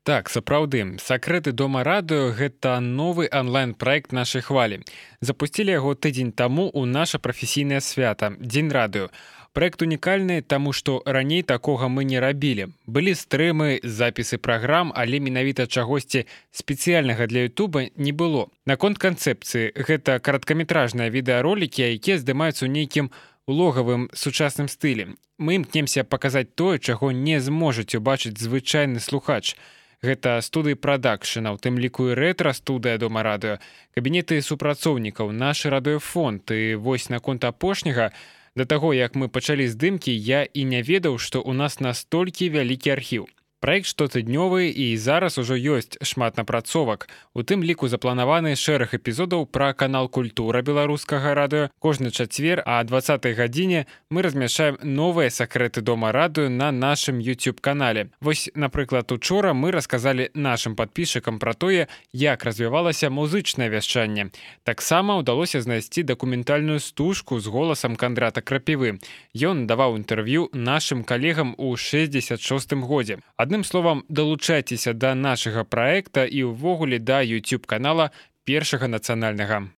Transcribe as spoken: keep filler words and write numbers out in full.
Так, сапраўды, сакрэты дома радыё гэта новы онлайн-праект нашай хвалі. Запусцілі яго тыдзень таму ў наша прафесійнае свята дзень радыё. Праект унікальны, таму што раней такога мы не рабілі. Былі стрымы, запісы праграм, але менавіта чагосьці спецыяльнага для Ютуба не было. Наконт канцэпцыі, гэта кароткаметражныя відэаролікі, якія здымаюцца ў нейкім улогавым сучасным стылі. Мы імкнемся паказаць тое, чаго не зможаце убачыць звычайны слухач. Гэта студыі прадакшына, у тым ліку і рэтра-студыя дома радыё, кабінеты супрацоўнікаў, наш радыёфонд. І вось наконт апошняга, да таго, як мы пачалі здымкі, я і не ведаў, што ў нас настолькі вялікі архіў. Праект штотыднёвы, і зараз ужо ёсць шмат напрацовак. У тым ліку запланаваны шэраг эпізодаў пра канал «Культура» беларускага радыё. Кожны чацвер, а дваццатай гадзіне мы размяшчаем новыя сакрэты дома радыё на нашым YouTube-канале. Вось, напрыклад, учора мы расказалі нашым падпісчыкам пра тое, як развівалася музычнае вяшчанне. Таксама ўдалося знайсці дакументальную стужку з голасам Кандрата Крапівы. Ён даваў інтэрв'ю нашым калегам у шэсцьдзесят шостым годзе. Адным словам, далучайцеся да нашага праекта і ўвогуле да YouTube-канала першага нацыянальнага.